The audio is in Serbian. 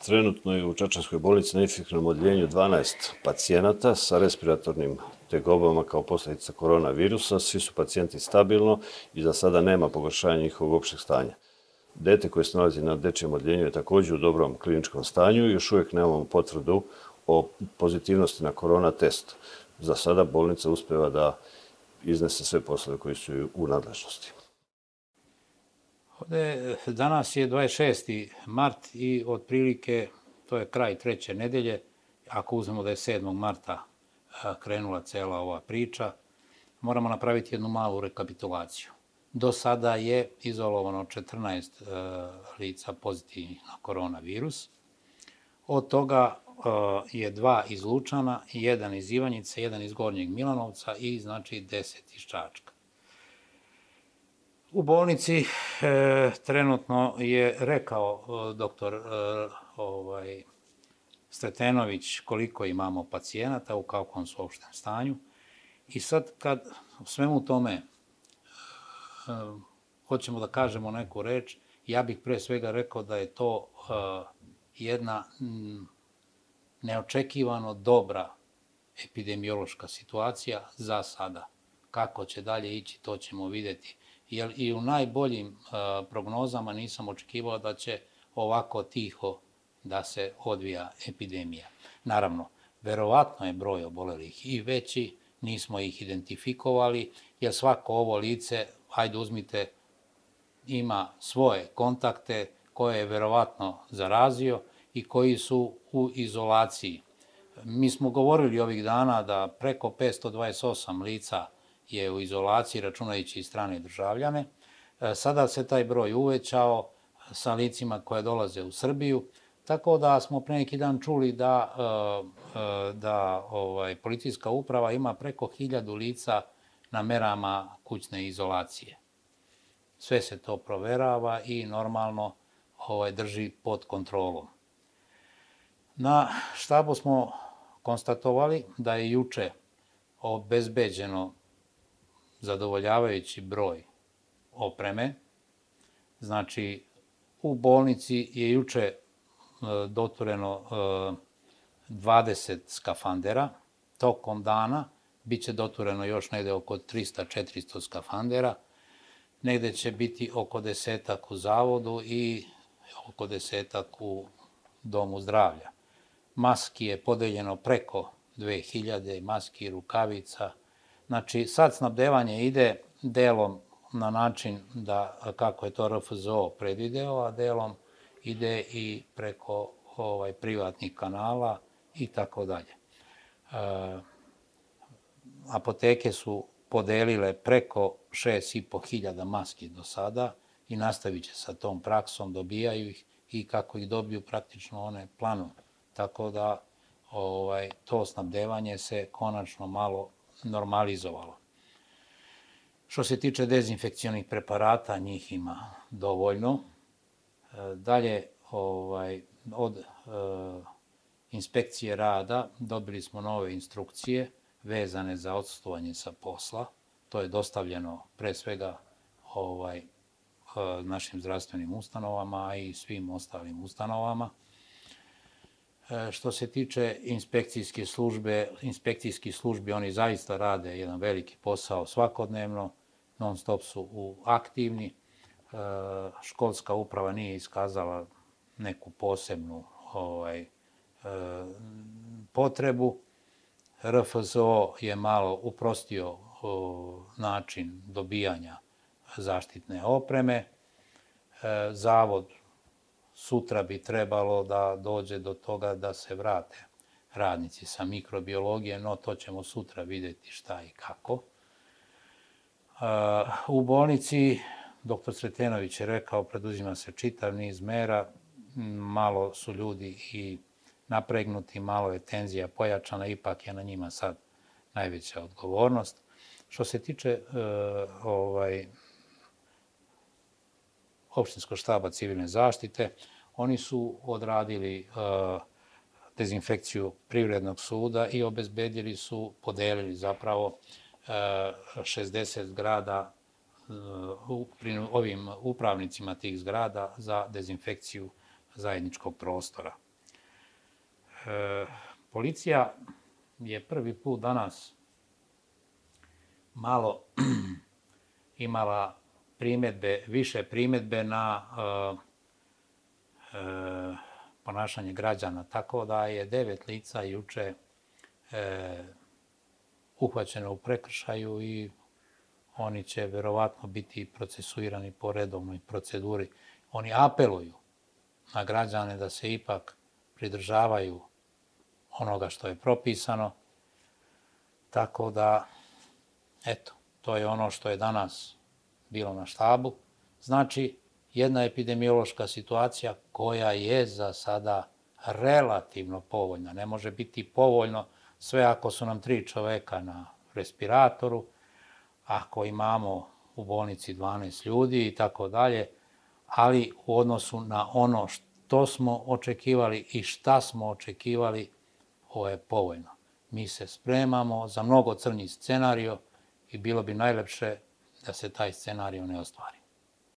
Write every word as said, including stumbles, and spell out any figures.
Trenutno je u Čačanskoj bolnici na infektivnom odeljenju dvanaest pacijenata sa respiratornim tegobama kao posljedica koronavirusa. Svi su pacijenti stabilno i za sada nema pogoršanja njihovog opšteg stanja. Dete koje se nalazi na dečijem odeljenju je također u dobrom kliničkom stanju i još uvijek nemamo potvrdu o pozitivnosti na korona test. Za sada bolnica uspeva da iznese sve poslove koji su u nadležnosti. Ovdje danas je dvadeset šesti mart i otprilike to je kraj treće nedelje. Ako uzmemo da je sedmog marta krenula cela ova priča, moramo napraviti jednu malu rekapitulaciju. Do sada je izolovano četrnaest lica pozitivnih na koronavirus. Od toga je dva iz Lučana, jedan iz Ivanjice, jedan iz Gornjeg Milanovca i znači deset iz Čačka. U bolnici e, trenutno je rekao doktor e, ovaj, Sretenović koliko imamo pacijenata, u kakvom su opštem stanju. I sad kad u svemu tome e, hoćemo da kažemo neku reč, ja bih pre svega rekao da je to e, jedna m, neočekivano dobra epidemiološka situacija za sada. Kako će dalje ići, to ćemo vidjeti. Jer i u najboljim uh, prognozama nisam očekivao da će ovako tiho da se odvija epidemija. Naravno, verovatno je broj obolelih i veći, nismo ih identifikovali, jer svako ovo lice, hajde uzmite, ima svoje kontakte koje je verovatno zarazio i koji su u izolaciji. Mi smo govorili ovih dana da preko petsto dvadeset osam lica je u izolaciji, računajući i strane državljane. Sada se taj broj uvećao sa licima koje dolaze u Srbiju, tako da smo pre neki dan čuli da, da ovaj, policijska uprava ima preko hiljadu lica na merama kućne izolacije. Sve se to proverava i normalno ovaj, drži pod kontrolom. Na štabu smo konstatovali da je juče obezbeđeno zadovoljavajući broj opreme. Znači, u bolnici je juče dotureno dvadeset skafandera. Tokom dana bit će dotureno još negde oko trista do četiristo skafandera. Negde će biti oko desetak u zavodu i oko desetak u domu zdravlja. Maski je podeljeno preko dve hiljade, maski i rukavica. Znači, sad snabdevanje ide delom na način da, kako je to R F Z O predvideo, a delom ide i preko ovaj, privatnih kanala i tako dalje. Apoteke su podelile preko šest i po hiljada maski do sada i nastavit će sa tom praksom, dobijaju ih i kako ih dobiju praktično one planu. Tako da ovaj, to snabdevanje se konačno malo normalizovalo. Što se tiče dezinfekcionih preparata, njih ima dovoljno. Dalje, ovaj, od e, inspekcije rada dobili smo nove instrukcije vezane za odsustvovanje sa posla. To je dostavljeno pre svega ovaj, e, našim zdravstvenim ustanovama, a i svim ostalim ustanovama. Što se tiče inspekcijske službe, inspekcijski službi, oni zaista rade jedan veliki posao svakodnevno, non stop su u aktivni. Školska uprava nije iskazala neku posebnu ovaj, potrebu. R F Z O je malo uprostio način dobijanja zaštitne opreme. Zavod sutra bi trebalo da dođe do toga da se vrate radnici sa mikrobiologije, no to ćemo sutra vidjeti šta i kako. U bolnici, doktor Sretenović je rekao, preduzima se čitav niz mera, malo su ljudi i napregnuti, malo je tenzija pojačana, ipak je na njima sad najveća odgovornost. Što se tiče ovaj, opštinskog štaba civilne zaštite, oni su odradili uh, dezinfekciju Privrednog suda i obezbedili su, podelili zapravo uh, šezdeset zgrada uh, ovim upravnicima tih zgrada za dezinfekciju zajedničkog prostora. Policija je prvi put danas malo imala primjedbe, više primjedbe na ponašanje građana, tako da je devet lica juče uhvaćeno u prekršaju i oni će verovatno biti procesuirani po redovnoj proceduri. Oni apeluju na građane da se ipak pridržavaju onoga što je propisano, tako da, eto, to je ono što je danas bilo na štabu. Znači, jedna epidemiološka situacija koja je za sada relativno povoljna. Ne može biti povoljno sve ako su nam tri čoveka na respiratoru, ako imamo u bolnici dvanaest ljudi i tako dalje, ali u odnosu na ono što smo očekivali i šta smo očekivali, ovo je povoljno. Mi se spremamo za mnogo crnji scenario i bilo bi najlepše da se taj scenario ne ostvari.